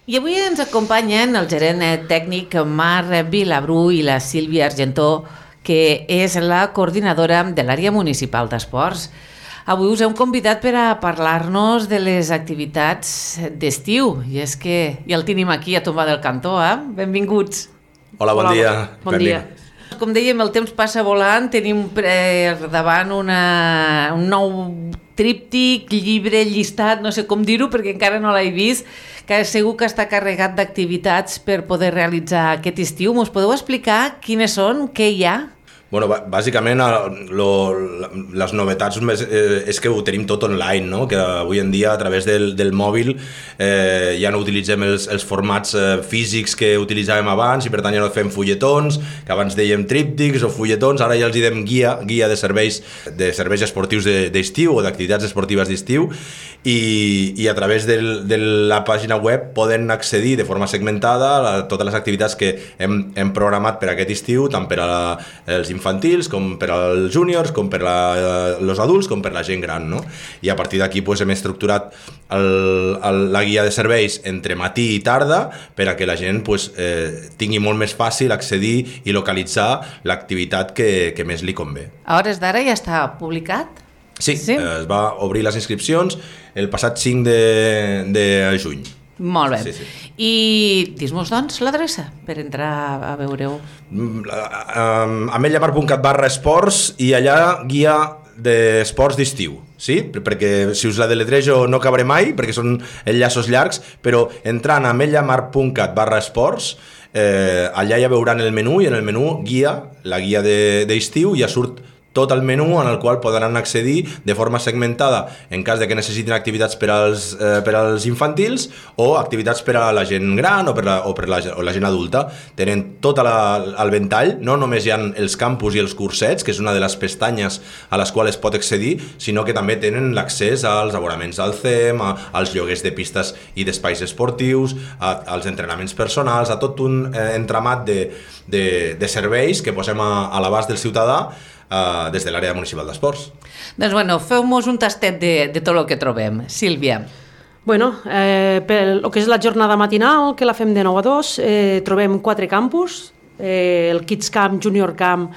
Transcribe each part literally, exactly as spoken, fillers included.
I avui ens acompanyen el gerent tècnic Marc Vilabru i la Sílvia Argentó, que és la coordinadora de l'àrea municipal d'esports. Avui us hem convidat per a parlar-nos de les activitats d'estiu, i és que ja el tenim aquí a tombar del cantó, eh? Benvinguts. Hola, bon Hola, dia. Bon dia. Com dèiem, el temps passa volant, tenim per davant una, un nou tríptic, llibre, llistat, no sé com dir-ho perquè encara no l'he vist, que segur que està carregat d'activitats per poder realitzar aquest estiu. Mos podeu explicar quines són, què hi ha? Bueno, bàsicament lo, les novetats més, eh, és que ho tenim tot online, no? Que avui en dia a través del, del mòbil eh, ja no utilitzem els, els formats eh, físics que utilitzàvem abans i per tant ja no fem fulletons, que abans dèiem tríptics o fulletons, ara ja els diem guia, guia de serveis, de serveis esportius d'estiu o d'activitats esportives d'estiu i, i a través del, de la pàgina web poden accedir de forma segmentada a totes les activitats que hem, hem programat per aquest estiu, tant per a la, els infantils, com per als júniors, com per a els adults, com per la gent gran, no? I a partir d'aquí pues, hem estructurat el, el, la guia de serveis entre matí i tarda per a que la gent pues, eh, tingui molt més fàcil accedir i localitzar l'activitat que, que més li convé. A hores d'ara ja està publicat? Sí, sí? Eh, es va obrir les inscripcions el passat cinc de, de juny. Molt bé. Sí, sí. I dis-nos, doncs, l'adreça per entrar a veure-ho. ametllamar punt cat barra esports i allà guia d'esports d'estiu, sí? Perquè si us la deletrejo no acabaré mai, perquè són enllaços llargs, però entrant a ametllamar punt cat barra esports, eh, allà ja veuran el menú i en el menú guia, la guia d'estiu, ja surt tot el menú en el qual podran accedir de forma segmentada en cas de que necessitin activitats per als, eh, per als infantils o activitats per a la gent gran o per la, o per la, o la gent adulta. Tenen tot la, el ventall, no només hi ha els campus i els cursets, que és una de les pestanyes a les quals es pot accedir, sinó que també tenen l'accés als abonaments al C E M, a, als lloguers de pistes i d'espais esportius, a, als entrenaments personals, a tot un eh, entramat de, de, de serveis que posem a, a l'abast del ciutadà Uh, des de l'àrea municipal d'esports. Doncs bueno, feu-nos un tastet de, de tot el que trobem. Sílvia. Bueno, eh, per el que és la jornada matinal, que la fem de nou a dos, eh, trobem quatre campus, eh, el Kids Camp, Junior Camp,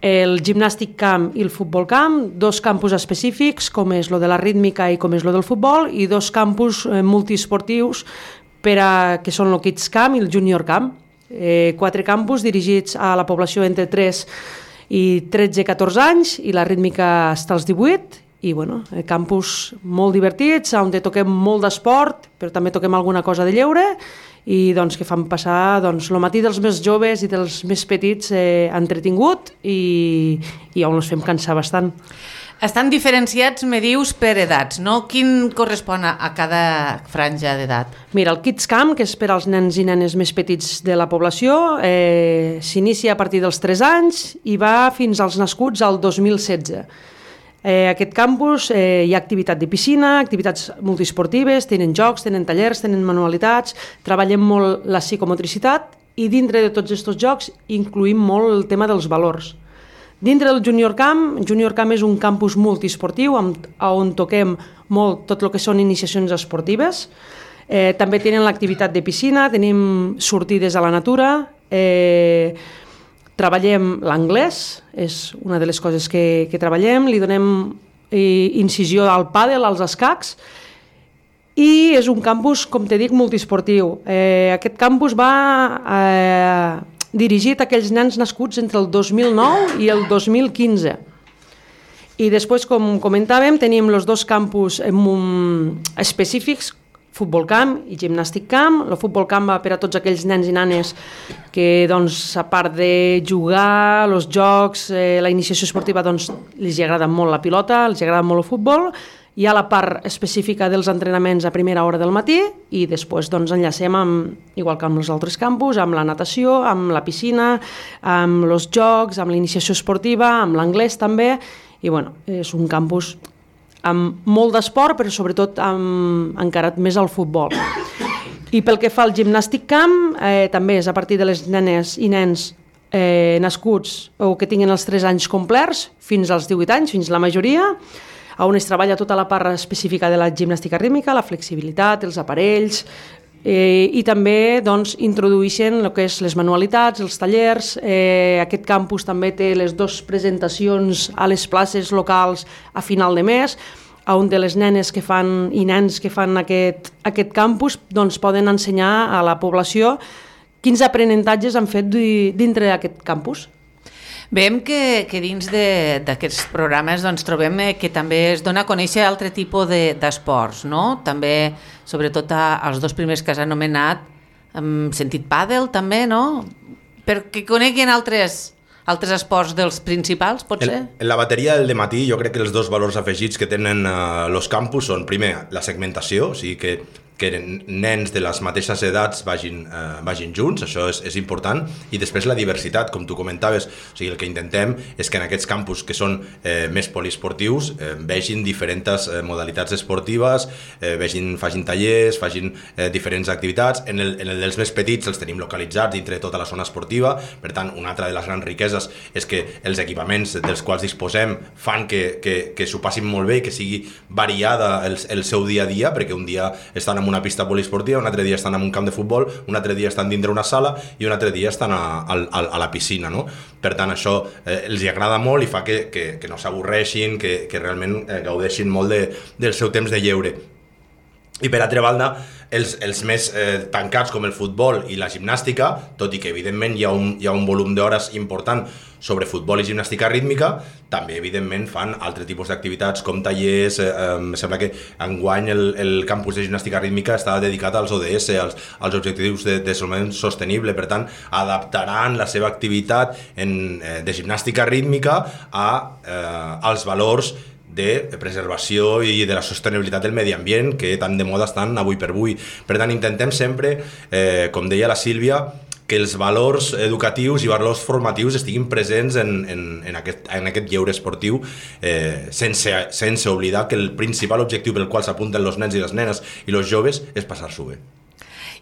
el Gymnastic Camp i el Futbol Camp, dos campus específics, com és lo de la rítmica i com és lo del futbol, i dos campus eh, multiesportius per a, que són el Kids Camp i el Junior Camp. Eh, quatre campus dirigits a la població entre tres i tretze a catorze anys i la rítmica està als divuit i bueno, campus molt divertits on toquem molt d'esport però també toquem alguna cosa de lleure i doncs que fan passar doncs, el matí dels més joves i dels més petits eh, entretingut i, i on els fem cansar bastant. Estan diferenciats, me dius, per edats, no? Quin correspon a cada franja d'edat? Mira, el Kids Camp, que és per als nens i nenes més petits de la població, eh, s'inicia a partir dels tres anys i va fins als nascuts al dos mil setze. Eh, aquest campus eh, hi ha activitat de piscina, activitats multiesportives, tenen jocs, tenen tallers, tenen manualitats, treballem molt la psicomotricitat i dintre de tots aquests jocs incluïm molt el tema dels valors. Dintre del Junior Camp, Junior Camp és un campus multiesportiu on toquem molt tot el que són iniciacions esportives. Eh, també tenen l'activitat de piscina, tenim sortides a la natura, eh, treballem l'anglès, és una de les coses que, que treballem, li donem eh, incisió al pàdel, als escacs, i és un campus, com te dic, multiesportiu. Eh, aquest campus va eh, dirigit a aquells nens nascuts entre el dos mil nou i el dos mil quinze. I després, com comentàvem, tenim els dos campus específics, Futbol Camp i Gymnastic Camp. El Futbol Camp va per a tots aquells nens i nanes que, doncs, a part de jugar, els jocs, eh, la iniciació esportiva, doncs, els agrada molt la pilota, els agrada molt el futbol. Hi ha la part específica dels entrenaments a primera hora del matí i després doncs, enllacem, amb, igual que amb els altres campus, amb la natació, amb la piscina, amb els jocs, amb l'iniciació esportiva, amb l'anglès també. I bueno, és un campus amb molt d'esport, però sobretot amb, encarat més al futbol. I pel que fa al Gymnastic Camp, eh, també és a partir de les nenes i nens eh, nascuts o que tinguin els tres anys complerts fins als divuit anys, fins la majoria, on es treballa tota la part específica de la gimnàstica rítmica, la flexibilitat, els aparells, Eh, I també doncs, introdueixen el que és les manualitats, els tallers. Eh, aquest campus també té les dues presentacions a les places locals a final de mes, on de les nenes que fan i nens que fan aquest, aquest campus doncs, poden ensenyar a la població quins aprenentatges han fet dintre d'aquest campus. Veiem que, que dins d'aquests programes doncs, trobem que també es dona a conèixer altre tipus d'esports, de, no? També, sobretot als dos primers que has anomenat, hem sentit pàdel també, no? Perquè coneguin altres, altres esports dels principals, pot ser? En, en la bateria del dematí jo crec que els dos valors afegits que tenen uh, los campus són, primer, la segmentació, o sigui que que nens de les mateixes edats vagin, eh, vagin junts, això és, és important, i després la diversitat, com tu comentaves, o sigui, el que intentem és que en aquests campus que són eh, més poliesportius eh, vegin diferents eh, modalitats esportives, eh, vegin, facin tallers, facin eh, diferents activitats. En el, en el dels més petits els tenim localitzats dintre de tota la zona esportiva, per tant, una altra de les grans riqueses és que els equipaments dels quals disposem fan que, que, que s'ho passin molt bé i que sigui variada el, el seu dia a dia, perquè un dia estan en una pista poliesportiva, un altre dia estan en un camp de futbol, un altre dia estan dintre una sala i un altre dia estan a, a, a la piscina, no? Per tant, això eh, els hi agrada molt i fa que, que, que no s'avorreixin, que, que realment eh, gaudeixin molt de, del seu temps de lleure. I per altra banda, els, els més eh, tancats com el futbol i la gimnàstica, tot i que evidentment hi ha un, hi ha un volum d'hores important sobre futbol i gimnàstica rítmica, també evidentment fan altre tipus d'activitats com tallers. eh, em sembla que enguany el, el campus de gimnàstica rítmica està dedicat als O D S, als, als objectius de desenvolupament sostenible, per tant adaptaran la seva activitat en, eh, de gimnàstica rítmica a, eh, als valors de preservació i de la sostenibilitat del medi ambient que tan de moda estan avui per avui. Per tant, intentem sempre, eh, com deia la Sílvia, que els valors educatius i valors formatius estiguin presents en, en, en, aquest, en aquest lleure esportiu, eh, sense, sense oblidar que el principal objectiu pel qual s'apunten els nens i les nenes i els joves és passar-s'ho bé.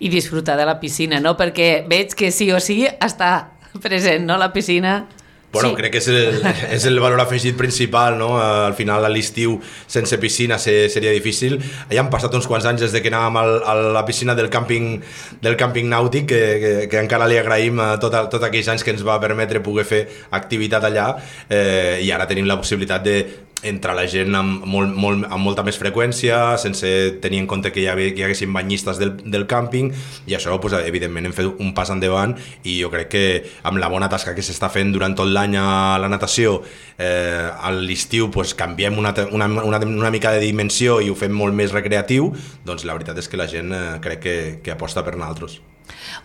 I disfrutar de la piscina, no? Perquè veig que sí o sí està present, no?, la piscina. Bueno, sí. Crec que és el, és el valor afegit principal, no? Al final, a l'estiu, sense piscina seria difícil. Ja han passat uns quants anys des de que anàvem al, a la piscina del càmping, del càmping nàutic, que, que, que encara li agraïm tots tot aquells anys que ens va permetre poder fer activitat allà, eh, i ara tenim la possibilitat de entrar la gent amb, molt, molt, amb molta més freqüència, sense tenir en compte que hi, havia, que hi haguessin banyistes del, del càmping, i això, pues, evidentment, hem fet un pas endavant, i jo crec que amb la bona tasca que s'està fent durant tot l'any a la natació, eh, a l'estiu pues, canviem una, una, una, una mica de dimensió i ho fem molt més recreatiu, doncs la veritat és que la gent eh, crec que, que aposta per nosaltres.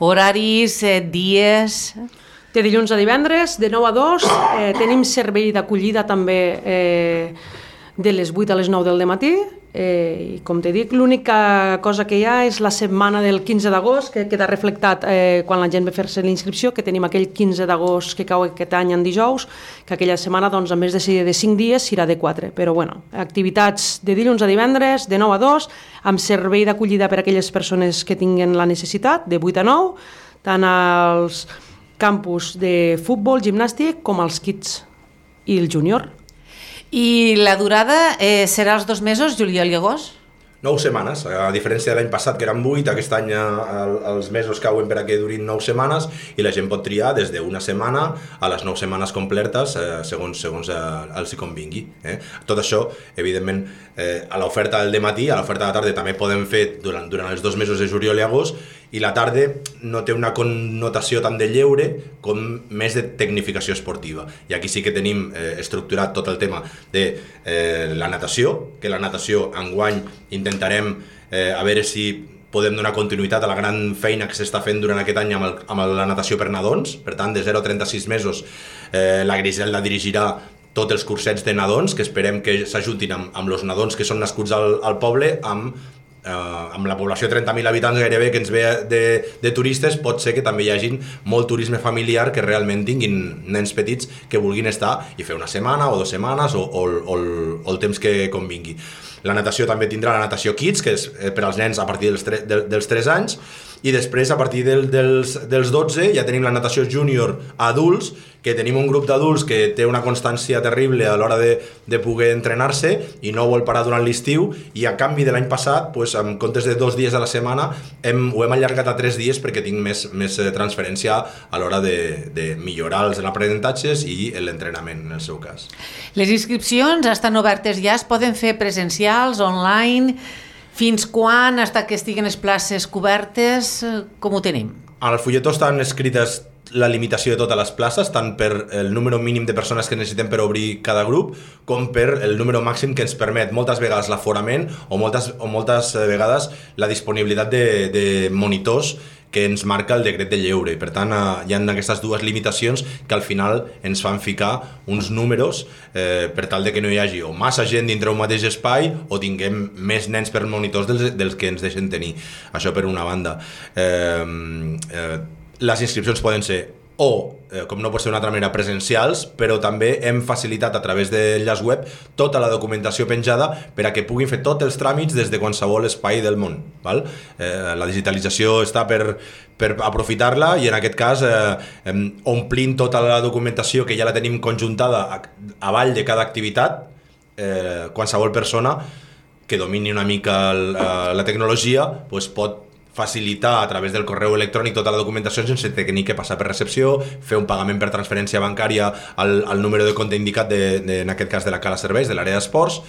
Horaris, eh, dies... De dilluns a divendres, de nou a dos, eh, tenim servei d'acollida també eh, de les vuit a les nou del dematí, eh, i com te dic, l'única cosa que hi ha és la setmana del quinze d'agost, que queda reflectat eh, quan la gent ve a fer-se l'inscripció, que tenim aquell quinze d'agost que cau aquest any en dijous, que aquella setmana, doncs, en més de ser de cinc dies, serà de quatre. Però, bueno, activitats de dilluns a divendres, de nou a dos, amb servei d'acollida per a aquelles persones que tinguen la necessitat, de vuit a nou, tant als campus de futbol, gimnàstic, com els kids i el júnior. I la durada eh, serà els dos mesos, juliol i agost? Nou setmanes, a diferència de l'any passat que eren vuit, aquest any els mesos cauen per a que durin nou setmanes i la gent pot triar des d'una setmana a les nou setmanes completes eh, segons, segons eh, els hi convingui. Eh? Tot això, evidentment, eh, a l'oferta del dematí, a l'oferta de la tarda també podem fer durant, durant els dos mesos de juliol i agost, i la tarda no té una connotació tan de lleure com més de tecnificació esportiva. I aquí sí que tenim eh, estructurat tot el tema de eh, la natació, que la natació enguany intentarem eh, a veure si podem donar continuïtat a la gran feina que s'està fent durant aquest any amb, el, amb la natació per nadons. Per tant, de zero a trenta-sis mesos eh, la Griselda dirigirà tots els cursets de nadons, que esperem que s'ajuntin amb, amb els nadons que són nascuts al, al poble, amb Uh, amb la població de trenta mil habitants gairebé que ens ve de, de turistes, pot ser que també hi hagi molt turisme familiar, que realment tinguin nens petits que vulguin estar i fer una setmana o dues setmanes o, o, o, el, o el temps que convingui. La natació també tindrà la natació Kids, que és per als nens a partir dels, tre, de, dels tres anys, i després a partir del, dels, dels dotze ja tenim la natació júnior adults, que tenim un grup d'adults que té una constància terrible a l'hora de, de poder entrenar-se i no vol parar durant l'estiu, i a canvi de l'any passat, pues, en comptes de dos dies a la setmana hem, ho hem allargat a tres dies perquè tinc més, més transferència a l'hora de, de millorar els aprenentatges i l'entrenament en el seu cas. Les inscripcions estan obertes ja, es poden fer presencials, online. Fins quan, hasta que estiguen les places cobertes, com ho tenim? Al fulletó estan escrites la limitació de totes les places, tant per el número mínim de persones que necessitem per obrir cada grup, com per el número màxim que ens permet moltes vegades l'aforament o moltes, o moltes vegades la disponibilitat de, de monitors que ens marca el decret de lleure. I per tant, eh, hi ha aquestes dues limitacions que al final ens fan ficar uns números eh, per tal de que no hi hagi o massa gent dintre un mateix espai o tinguem més nens per monitors dels, dels que ens deixen tenir. Això per una banda. Eh, eh, les inscripcions poden ser o, eh, com no pot ser d'una altra manera, presencials, però també hem facilitat a través del llaç web tota la documentació penjada per a que puguin fer tots els tràmits des de qualsevol espai del món. Val? Eh, la digitalització està per, per aprofitar-la i en aquest cas eh, omplint tota la documentació que ja la tenim conjuntada a, a avall de cada activitat, eh, qualsevol persona que domini una mica el, eh, la tecnologia pues pot facilitar a través del correu electrònic tota la documentació sense tenir que passar per recepció, fer un pagament per transferència bancària al, al número de compte indicat, de, de, en aquest cas de la Cala Serveis, de l'àrea d'esports,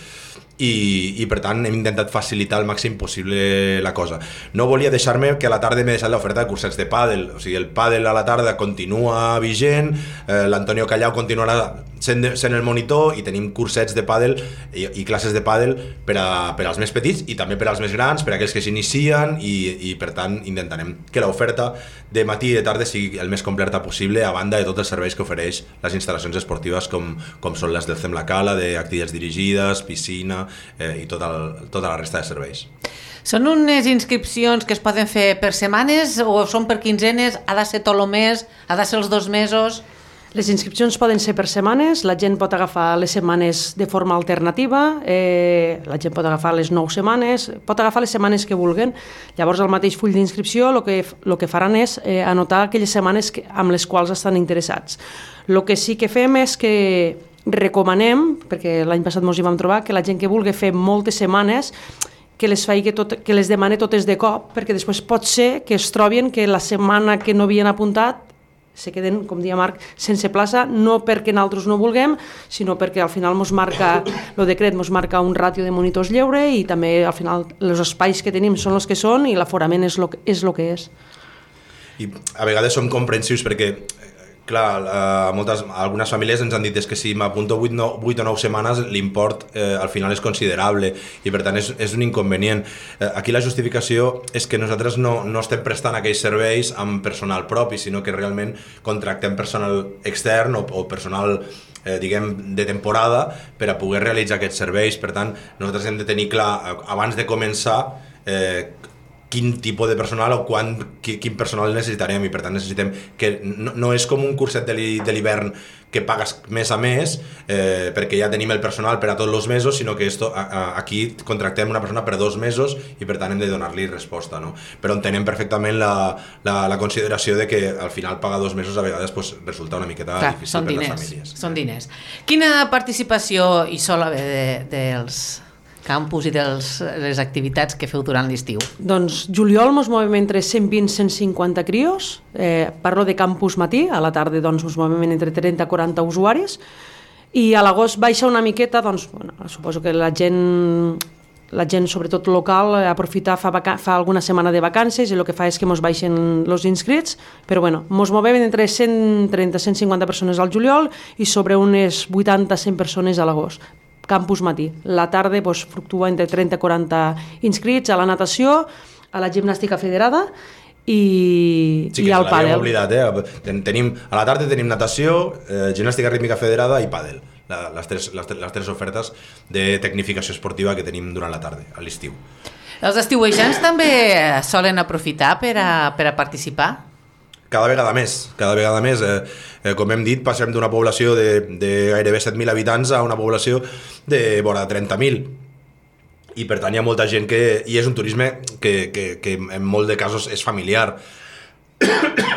i, i per tant hem intentat facilitar al màxim possible la cosa. No volia deixar-me que a la tarda m'he deixat l'oferta de cursets de pàdel, o sigui, el pàdel a la tarda continua vigent, eh, l'Antonio Callau continuarà sent, sent el monitor i tenim cursets de pàdel i, i classes de pàdel per, a, per als més petits i també per als més grans, per a aquells que s'inicien, i, i per tant intentarem que l'oferta de matí i de tarda sigui el més completa possible, a banda de tots els serveis que ofereix les instal·lacions esportives com, com són les del C E M La Cala, d'activitats dirigides, piscina, Eh, i tota, el, tota la resta de serveis. Són unes inscripcions que es poden fer per setmanes o són per quinzenes? Ha de ser tot el mes? Ha de ser els dos mesos? Les inscripcions poden ser per setmanes, la gent pot agafar les setmanes de forma alternativa, eh, la gent pot agafar les nou setmanes, pot agafar les setmanes que vulguen. Llavors, al mateix full d'inscripció, el que, el que faran és eh, anotar aquelles setmanes que, amb les quals estan interessats. El que sí que fem és que recomanem, perquè l'any passat ens hi vam trobar, que la gent que vulgui fer moltes setmanes que les faci tot, que les demane totes de cop, perquè després pot ser que es trobin que la setmana que no havien apuntat se queden, com dia Marc, sense plaça, no perquè nosaltres no vulguem, sinó perquè al final ens marca, el decret ens marca un ràtio de monitors lleure i també al final els espais que tenim són els que són i l'aforament és el que és. Lo que és. I a vegades som comprensius perquè clar, eh, moltes, algunes famílies ens han dit és que si m'apunto vuit o nou setmanes l'import eh, al final és considerable i per tant és, és un inconvenient. Eh, aquí la justificació és que nosaltres no, no estem prestant aquells serveis amb personal propi, sinó que realment contractem personal extern o, o personal eh, diguem, de temporada per a poder realitzar aquests serveis. Per tant, nosaltres hem de tenir clar, abans de començar, eh, quin tipus de personal o quan, quin personal necessitarem, i per tant necessitem que no, no és com un curset de l'hivern que pagues mes a mes eh, perquè ja tenim el personal per a tots els mesos, sinó que esto, a, a, aquí contractem una persona per dos mesos i per tant hem de donar-li resposta, no? Però entenem perfectament la, la, la consideració de que al final pagar dos mesos a vegades pues, resulta una miqueta Clar, difícil per diners, les famílies. Són diners. Quina participació hi sol haver de, dels campus i de les activitats que feu durant l'estiu? Doncs juliol ens movem entre cent vint a cent cinquanta crios, eh, parlo de campus matí, a la tarda doncs, ens movem entre trenta a quaranta usuaris, i a l'agost baixa una miqueta, doncs, bueno, suposo que la gent, la gent sobretot local, aprofita, fa, vaca- fa alguna setmana de vacances i el que fa és que ens baixen els inscrits, però bueno, ens movem entre cent trenta a cent cinquanta persones al juliol i sobre unes vuitanta a cent persones a l'agost. Campus matí. La tarda doncs, fluctua entre trenta a quaranta inscrits a la natació, a la gimnàstica federada i, sí, i al pàdel. Oblidat, eh? Tenim, a la tarda tenim natació, eh, gimnàstica rítmica federada i pàdel. La, les, tres, les, les tres ofertes de tecnificació esportiva que tenim durant la tarda, a l'estiu. Els estiuejants també solen aprofitar per a, per a participar? Cada vegada més, cada vegada més. Eh, eh, com hem dit, passem d'una població de, de gairebé set mil habitants a una població de vora trenta mil. i per tant hi ha molta gent que... I és un turisme que, que, que en molt de casos és familiar.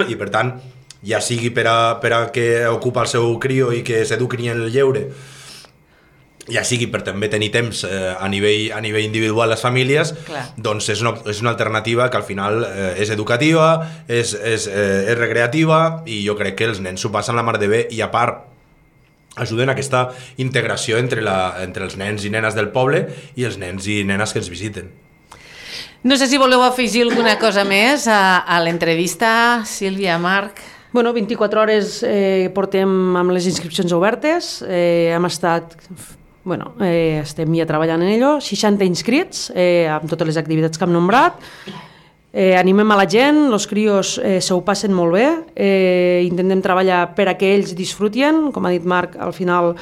I per tant, ja sigui per a, per a que ocupa el seu crio i que s'eduqui en el lleure, ja sigui per també tenir temps eh, a, nivell, a nivell individual les famílies, Clar. doncs és una, és una alternativa que al final eh, és educativa, és, és, eh, és recreativa, i jo crec que els nens s'ho passen la mar de bé, i a part ajuden a aquesta integració entre, la, entre els nens i nenes del poble i els nens i nenes que ens visiten. No sé si voleu afegir alguna cosa més a, a l'entrevista, Sílvia, Marc. Bueno, vint-i-quatre hores eh, portem amb les inscripcions obertes, eh, hem estat, bueno, eh, estem ja treballant en ello, seixanta inscrits eh, amb totes les activitats que hem nombrat. Eh, animem a la gent, els crios eh, se ho passen molt bé, eh, intentem treballar per a que ells disfrutien, com ha dit Marc, al final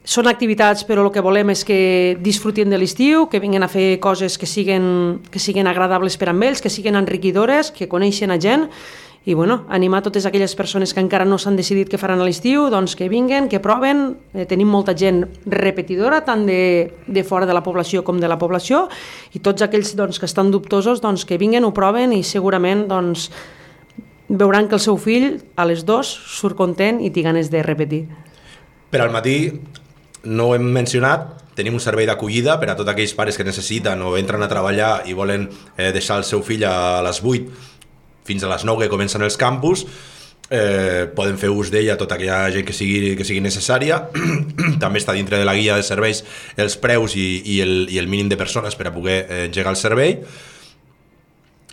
són activitats, però el que volem és que disfrutin de l'estiu, que vinguin a fer coses que siguen, que siguen agradables per a ells, que siguen enriquidores, que coneixen a gent, i bueno, animar totes aquelles persones que encara no s'han decidit què faran a l'estiu, doncs que vinguen, que proven. Eh, tenim molta gent repetidora, tant de, de fora de la població com de la població, i tots aquells doncs, que estan dubtosos, doncs, que vinguen, ho proven, i segurament doncs, veuran que el seu fill a les dos surt content i té ganes de repetir. Per al matí, no ho hem mencionat, tenim un servei d'acollida per a tots aquells pares que necessiten o entren a treballar i volen eh, deixar el seu fill a les vuit fins a les nou que comencen els campus. Eh, poden fer ús d'ella tota aquella gent que sigui, que sigui necessària. També està dintre de la guia de serveis els preus i, i, el, i el mínim de persones per a poder eh, engegar el servei.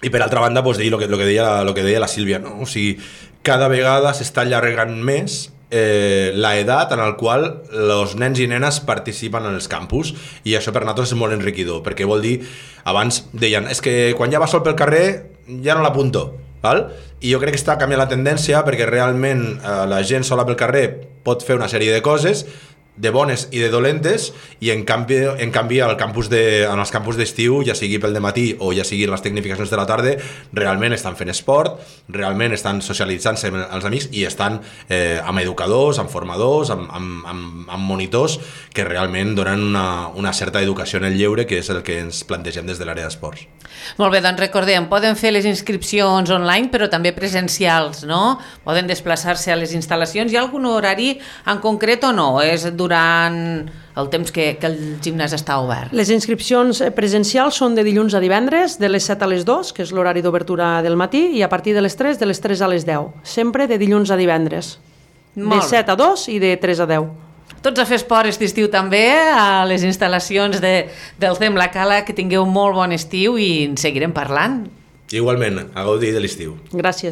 I per altra banda, doncs, dir el que, lo que, deia, lo que deia la Sílvia, no? O sigui, cada vegada s'està allargant més eh, la edat en el qual els nens i nenes participen en els campus, i això per nosaltres és molt enriquidor, perquè vol dir, abans deien, és que quan ja va sol pel carrer ja no l'apunto, val? I jo crec que està canviant la tendència, perquè realment eh, la gent sola pel carrer pot fer una sèrie de coses, de bones i de dolentes, i en canvi, en canvi al campus de, en els campus d'estiu, ja sigui pel dematí o ja sigui les tecnificacions de la tarda, realment estan fent esport, realment estan socialitzant-se amb els amics, i estan eh, amb educadors, amb formadors, amb, amb, amb, amb monitors que realment donen una, una certa educació en el lleure, que és el que ens plantegem des de l'àrea d'esports. Molt bé, doncs recordem, poden fer les inscripcions online, però també presencials, no? Poden desplaçar-se a les instal·lacions. Hi ha algun horari en concret o no? És durant el temps que, que el gimnàs està obert? Les inscripcions presencials són de dilluns a divendres, de les set a les dos, que és l'horari d'obertura del matí, i a partir de les tres, de les tres a les deu. Sempre de dilluns a divendres. Molt. De set a dos i de tres a deu. Tots a fer esport aquest estiu també, a les instal·lacions de, del C E M La Cala, que tingueu molt bon estiu i en seguirem parlant. Igualment, a gaudir de l'estiu. Gràcies.